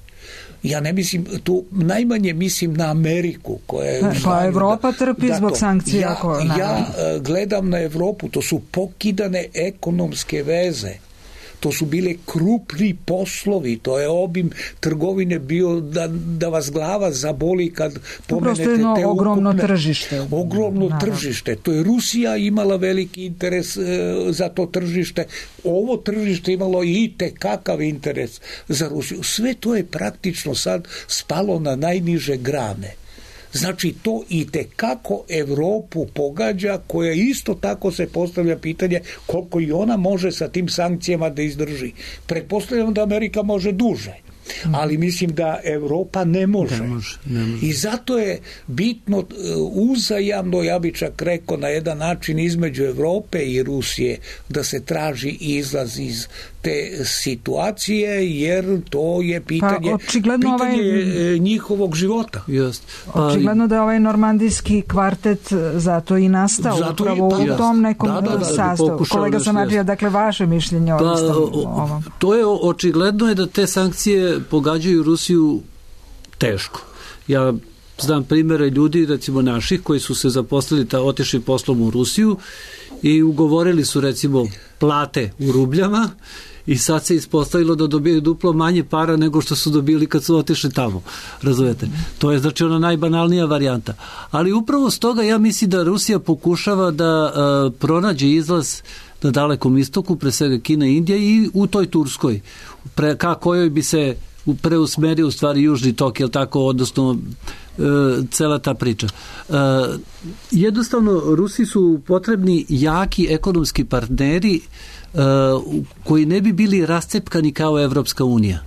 Ja ne mislim, tu najmanje mislim na Ameriku koja je... Pa Evropa trpi zbog sankcija. Ja, ja gledam na Evropu, to su pokidane ekonomske veze. To su bile krupni poslovi, to je obim trgovine bio da, da vas glava zaboli kad pomenete te ukupne... ogromno tržište. Ogromno Naravno. tržište. To je Rusija imala veliki interes e, za to tržište. Ovo tržište imalo i tekakav interes za Rusiju. Sve to je praktično sad spalo na najniže grane. Znači to i tekako Evropu pogađa, koja isto tako se postavlja pitanje koliko i ona može sa tim sankcijama da izdrži. Pretpostavljam da Amerika može duže, ali mislim da Evropa ne može. Ne može, ne može. I zato je bitno uzajamno, ja bi čak rekao na jedan način između Evrope i Rusije, da se traži izlaz iz te situacije, jer to je pitanje, pa, pitanje ovaj, njihovog života. Just. Pa, očigledno da je ovaj normandijski kvartet zato i nastao zato upravo i, pa, u tom nekom da, da, da, sastavu. Kolega Samardžija, dakle, vaše mišljenje o pa, ovom? To je očigledno je da te sankcije pogađaju Rusiju teško. Ja znam primjere ljudi, recimo naših, koji su se zaposlili, ta, otišli poslom u Rusiju i ugovorili su recimo plate u rubljama i sad se ispostavilo da dobijaju duplo manje para nego što su dobili kad su otišli tamo. Razumete? To je znači ona najbanalnija varijanta. Ali upravo s toga ja mislim da Rusija pokušava da uh, pronađe izlaz na Dalekom istoku, pre svega Kina i Indija, i u toj Turskoj, pre, ka kojoj bi se preusmerio u stvari Južni tok, jel tako, odnosno e, cela ta priča. E, jednostavno, Rusi su potrebni jaki ekonomski partneri e, koji ne bi bili rascepkani kao Evropska unija.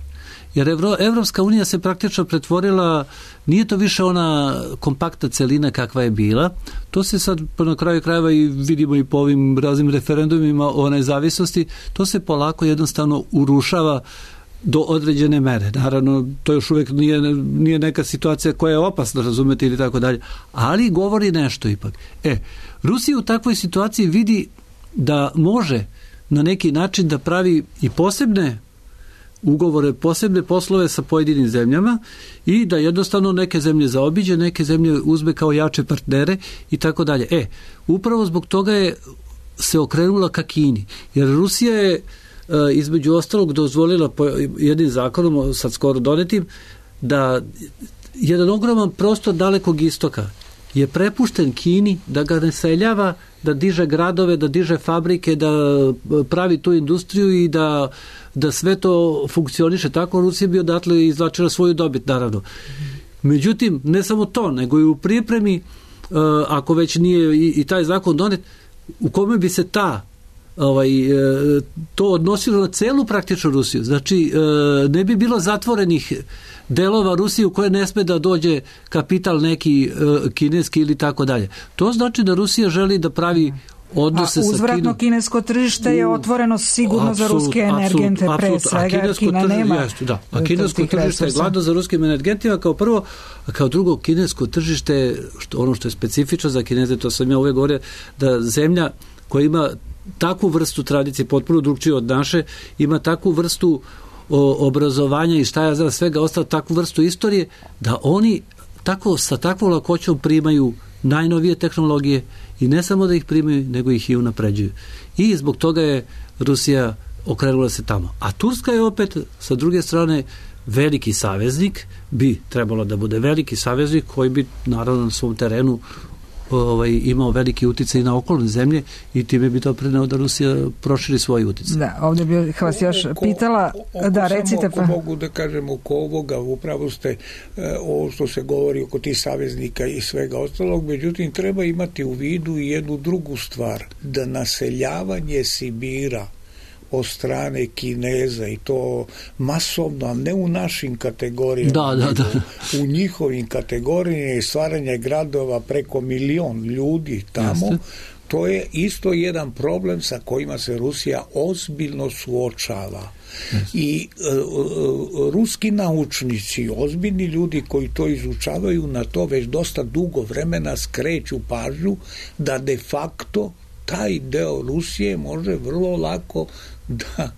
Jer Evro, Evropska unija se praktično pretvorila, nije to više ona kompaktna celina kakva je bila, to se sad na kraju krajeva i vidimo i po ovim raznim referendumima o nezavisnosti, to se polako jednostavno urušava do određene mere. Naravno, to još uvijek nije, nije neka situacija koja je opasna, razumete, ili tako dalje, ali govori nešto ipak. E, Rusija u takvoj situaciji vidi da može na neki način da pravi i posebne ugovore, posebne poslove sa pojedinim zemljama i da jednostavno neke zemlje zaobiđe, neke zemlje uzme kao jače partnere i tako dalje. E, upravo zbog toga je se okrenula ka Kini, jer Rusija je između ostalog dozvolila po jednim zakonom, sad skoro donetim, da jedan ogroman prostor Dalekog istoka je prepušten Kini, da ga naseljava, da diže gradove, da diže fabrike, da pravi tu industriju i da, da sve to funkcioniše tako. Rusija bi odatle izvlačila svoju dobit, naravno. Međutim, ne samo to, nego i u pripremi, ako već nije i, i taj zakon donet, u kome bi se ta ovaj, to odnosilo na celu praktično Rusiju. Znači, ne bi bilo zatvorenih delova Rusije u koje ne sme da dođe kapital neki kineski ili tako dalje. To znači da Rusija želi da pravi odnose a uzvratno sa kinesko tržište je otvoreno sigurno absolut, za ruske energente absolut, pre svega, a Kina tržište, nema jest, da. A kinesko tržište je gladno za ruskim energentima kao prvo, a kao drugo kinesko tržište, što, ono što je specifično za Kineze, to sam ja uvijek govorio, da zemlja koja ima takvu vrstu tradicije, potpuno drugčije od naše, ima takvu vrstu o, obrazovanja i šta ja za svega ostalo, takvu vrstu istorije, da oni tako, sa takvom lakoćom primaju najnovije tehnologije i ne samo da ih primaju, nego ih i unapređuju. I zbog toga je Rusija okrenula se tamo. A Turska je opet, sa druge strane, veliki saveznik, bi trebalo da bude veliki saveznik koji bi naravno na svom terenu ovaj, imao veliki uticaj na okolne zemlje i time bi to preneo da Rusija proširi svoj uticaj. Da, ovdje bih vas još oko, pitala, oko, da recite pa. Mogu da kažem oko ovoga, upravo ste e, ovo što se govori oko tih saveznika i svega ostalog, međutim treba imati u vidu i jednu drugu stvar, da naseljavanje Sibira od strane Kineza i to masovno, a ne u našim kategorijama, da, da, da. u njihovim kategorijama i stvaranje gradova preko milion ljudi tamo, Jeste. To je isto jedan problem sa kojima se Rusija ozbiljno suočava. Jeste. I uh, ruski naučnici, ozbiljni ljudi koji to izučavaju, na to već dosta dugo vremena skreću pažnju da de facto taj deo Rusije može vrlo lako da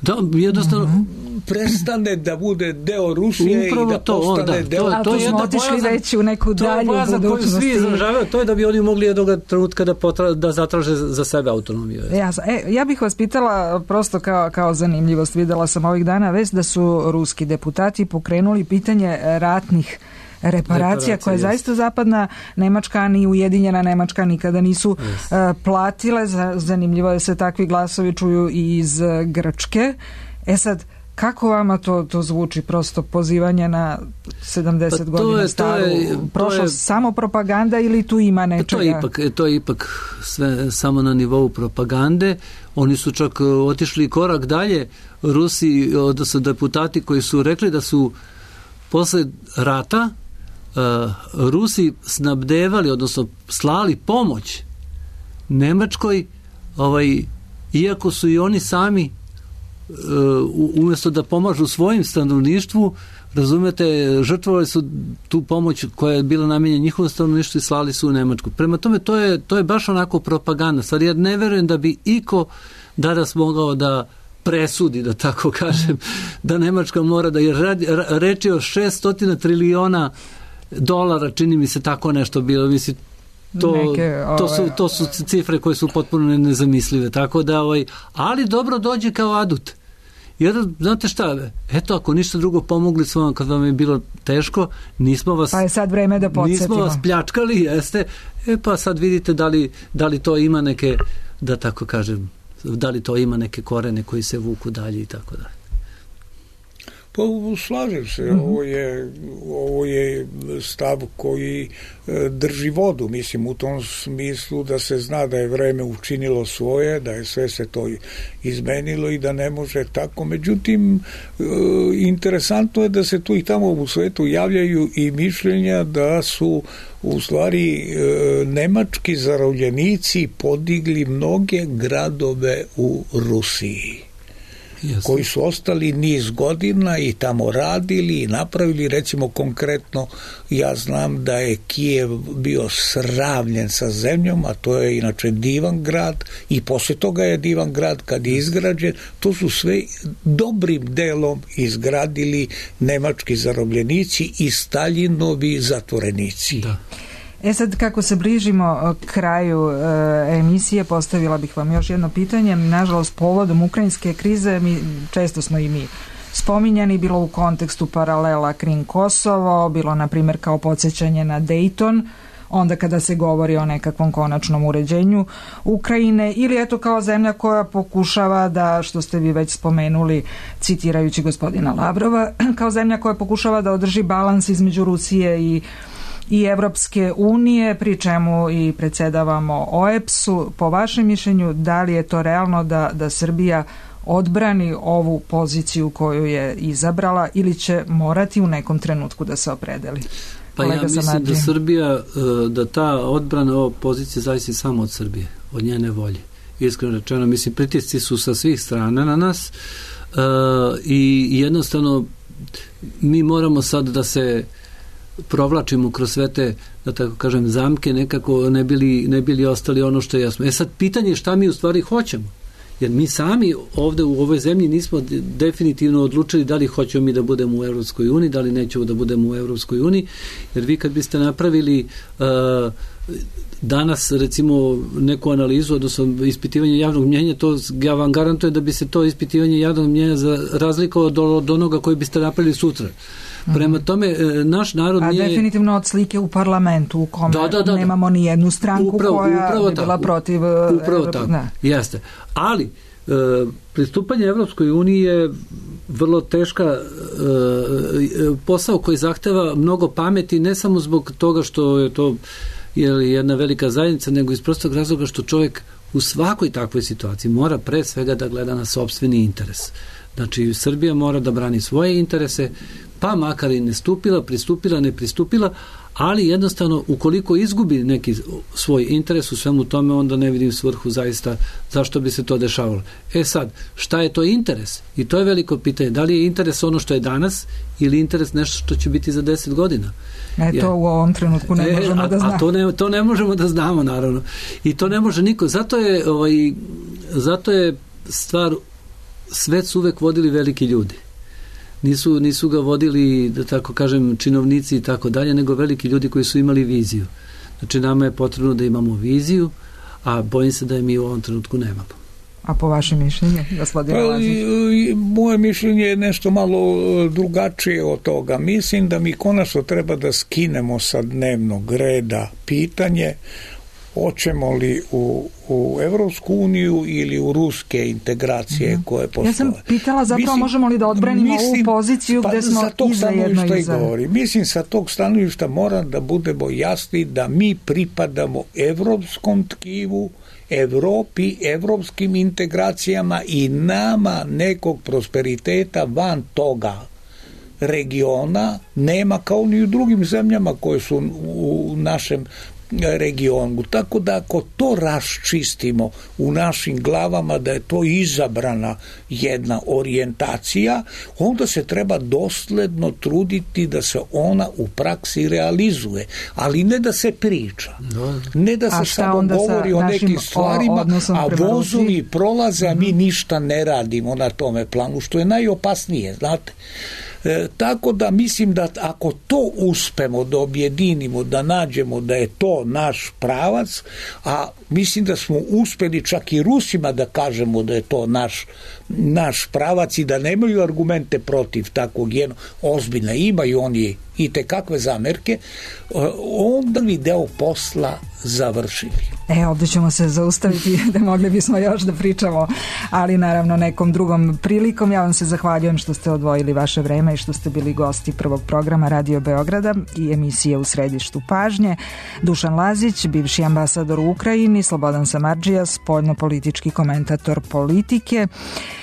da jednostavno prestane da bude deo Rusije upravo i da to, postane da, deo... To, to, to smo otišli već u neku dalju budućnost. Svi izražavaju, to je da bi oni mogli jednog trenutka da, potra, da zatraže za sebe autonomiju. Ja, e, ja bih vas pitala prosto kao, kao zanimljivost. Videla sam ovih dana već da su ruski deputati pokrenuli pitanje ratnih reparacija koje zaista zapadna Nemačka ni Ujedinjena Nemačka nikada nisu uh, platile. Zanimljivo je se takvi glasovi čuju i iz Grčke. E sad, kako vama to, to zvuči, prosto pozivanje na sedamdeset pa godina je, staru prošlost, samo propaganda ili tu ima nečega? To je ipak, to je ipak sve samo na nivou propagande. Oni su čak otišli korak dalje. Rusi, odnosno deputati koji su rekli da su posle rata uh, Rusi snabdevali, odnosno slali pomoć Nemačkoj, ovaj, iako su i oni sami umjesto da pomažu svojim stanovništvu, razumete, žrtvovali su tu pomoć koja je bila namijenjena njihovom stanovništvu i slali su u Nemačku. Prema tome, to je, to je baš onako propaganda. Stvar, ja ne verujem da bi iko danas mogao da presudi, da tako kažem, da Nemačka mora da, jer reči o šeststo triliona dolara, čini mi se tako nešto bilo, mislim, To, Neke, ove, to, su, to su cifre koje su potpuno nezamislive, tako da ovaj, ali dobro dođe kao adut, jer znate šta, eto, ako ništa drugo pomogli smo vam kad vam je bilo teško, nismo vas pa je sad vreme da podsjetimo, nismo vas pljačkali, jeste, e pa sad vidite da li, da li to ima neke, da tako kažem, da li to ima neke korene koji se vuku dalje i tako dalje. Pa slažem se, mm-hmm. ovo je, ovo je stav koji e, drži vodu, mislim u tom smislu da se zna da je vreme učinilo svoje, da je sve se to izmenilo i da ne može tako. Međutim, e, interesantno je da se tu i tamo u svetu javljaju i mišljenja da su u stvari e, nemački zarobljenici podigli mnoge gradove u Rusiji. Jasne. Koji su ostali niz godina i tamo radili i napravili, recimo konkretno ja znam da je Kijev bio sravnjen sa zemljom, a to je inače divan grad i posle toga je divan grad kad je izgrađen, to su sve dobrim delom izgradili nemački zarobljenici i Staljinovi zatvorenici. Da. E sad, kako se bližimo kraju e, emisije, postavila bih vam još jedno pitanje. Nažalost, povodom ukrajinske krize mi, često smo i mi spominjani, bilo u kontekstu paralela Krim-Kosovo, bilo na primjer kao podsjećanje na Dayton, onda kada se govori o nekakvom konačnom uređenju Ukrajine, ili eto kao zemlja koja pokušava da, što ste vi već spomenuli citirajući gospodina Lavrova, kao zemlja koja pokušava da održi balans između Rusije i i Evropske unije, pri čemu i predsjedavamo O E B S-u. Po vašem mišljenju, da li je to realno da, da Srbija odbrani ovu poziciju koju je izabrala ili će morati u nekom trenutku da se opredeli? Pa Kolega ja mislim Samadži. Da Srbija, da ta odbrana ove pozicije zavisi samo od Srbije, od njene volje. Iskreno rečeno, mislim, pritisci su sa svih strana na nas uh, i jednostavno mi moramo sad da se provlačimo kroz sve te, da tako kažem, zamke, nekako ne bili, ne bili ostali ono što je jasno. E sad, pitanje je šta mi u stvari hoćemo. Jer mi sami ovde u ovoj zemlji nismo definitivno odlučili da li hoćemo mi da budemo u Evropskoj uniji, da li nećemo da budemo u Evropskoj uniji, jer vi kad biste napravili uh, danas recimo neku analizu, odnosno ispitivanje javnog mnjenja, to ja vam garantujem da bi se to ispitivanje javnog mnjenja za razlikovalo od, od onoga koji biste napravili sutra. Prema tome, naš narod a nije... A definitivno od slike u parlamentu u kome da, da, da, nemamo ni jednu stranku upravo, koja upravo bi bila tako, protiv... Upravo tako, ne. Jeste. Ali, e, pristupanje Evropskoj uniji je vrlo teška e, posao koji zahteva mnogo pameti, ne samo zbog toga što je to je jedna velika zajednica, nego iz prostog razloga što čovjek u svakoj takvoj situaciji mora pre svega da gleda na sopstveni interes. Znači, Srbija mora da brani svoje interese, pa makar i ne stupila, pristupila, ne pristupila, ali jednostavno ukoliko izgubi neki svoj interes u svemu tome, onda ne vidim svrhu zaista zašto bi se to dešavalo. E sad, šta je to interes? I to je veliko pitanje. Da li je interes ono što je danas ili interes nešto što će biti za deset godina? E, to u ovom trenutku ne e, možemo a, da znamo. A to ne, to ne možemo da znamo, naravno. I to ne može niko. Zato je, ovaj, zato je stvar, svet su uvek vodili veliki ljudi. Nisu, nisu ga vodili, da tako kažem, činovnici i tako dalje, nego veliki ljudi koji su imali viziju. Znači, nama je potrebno da imamo viziju, a bojim se da je mi u ovom trenutku nemamo. A po vašem mišljenju, gospodine Lazić? Moje mišljenje je nešto malo drugačije od toga. Mislim da mi konačno treba da skinemo sa dnevnog reda pitanje hoćemo li u, u Evropsku uniju ili u ruske integracije mm-hmm. koje postoje. Ja sam pitala zapravo mislim, možemo li da odbranimo mislim, ovu poziciju pa, gde smo i za jedno i za... Govori. Mislim, sa tog stanovišta moram da budemo jasni da mi pripadamo evropskom tkivu, Evropi, evropskim integracijama i nama nekog prosperiteta van toga regiona nema kao ni u drugim zemljama koje su u našem regionu. Tako da ako to raščistimo u našim glavama da je to izabrana jedna orijentacija, onda se treba dosledno truditi da se ona u praksi realizuje, ali ne da se priča. Ne da se samo govori o nekim stvarima, a vozovi prolaze, a mi ništa ne radimo na tome planu, što je najopasnije, znate. E, tako da mislim da ako to uspemo da objedinimo, da nađemo da je to naš pravac, a mislim da smo uspeli čak i Rusima da kažemo da je to naš, naš pravac i da nemaju argumente protiv takvog jednog, ozbiljne imaju oni i te kakve zamerke, onda bi deo posla završili. E, ovdje ćemo se zaustaviti, da mogli bismo još da pričamo, ali naravno nekom drugom prilikom. Ja vam se zahvaljujem što ste odvojili vaše vreme i što ste bili gosti prvog programa Radio Beograda i emisije U središtu pažnje. Dušan Lazić, bivši ambasador u Ukrajini, Slobodan Samardžija, spoljno-politički komentator politike.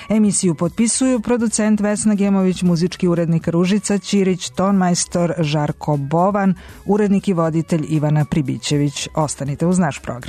Emisiju potpisuju producent Vesna Gemović, muzički urednik Ružica Ćirić, tonmajstor Žarko Bovan, urednik i voditelj Ivana Pribićević. Ostanite uz naš program.